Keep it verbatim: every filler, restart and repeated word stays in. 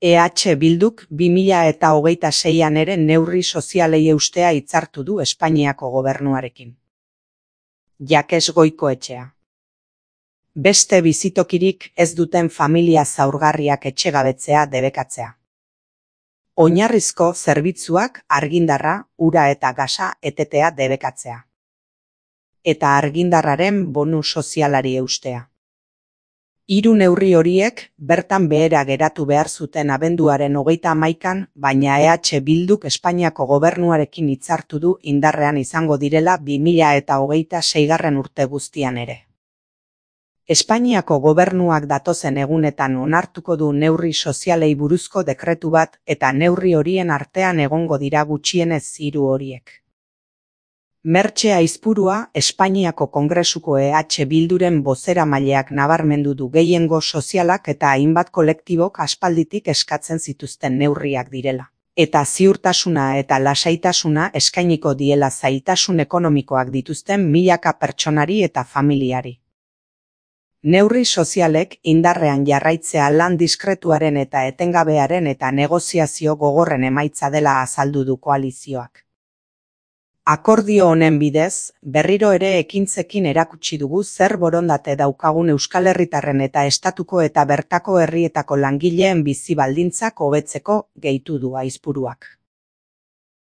E H Bilduk bi mila eta hogeita seian ere neurri sozialei eustea hitzartu du Espainiako gobernuarekin. Jakes Goikoetxea. Beste bizitokirik ez duten familia zaurgarriak etxegabetzea debekatzea. Oinarrizko zerbitzuak argindarra, ura eta gasa etetea debekatzea. Eta argindarraren bonu sozialari eustea. Hiru neurri horiek bertan behera geratu behar zuten abenduaren hogeita hamaikan, baina E H Bilduk Espainiako gobernuarekin hitzartu du indarrean izango direla bi mila eta hogeita seigarren urte guztian ere. Espainiako gobernuak datozen egunetan onartuko du neurri sozialei buruzko dekretu bat eta neurri horien artean egongo dira gutxienez hiru horiek. Mertxe Aizpurua Espainiako Kongresuko E H Bilduren bozeramaileak nabarmendu du gehiengo sozialak eta hainbat kolektibok aspalditik eskatzen zituzten neurriak direla. Eta ziurtasuna eta lasaitasuna eskainiko diela zailtasun ekonomikoak dituzten milaka pertsonari eta familiari. Neurri sozialek indarrean jarraitzea lan diskretuaren eta etengabearen eta negoziazio gogorren emaitza dela azaldu du koalizioak. Akordio honen bidez, berriro ere ekintzekin erakutsi dugu zer borondate daukagun Euskal Herritarren eta estatuko eta bertako herrietako langileen bizi baldintzak hobetzeko, gehitu du Aizpuruak.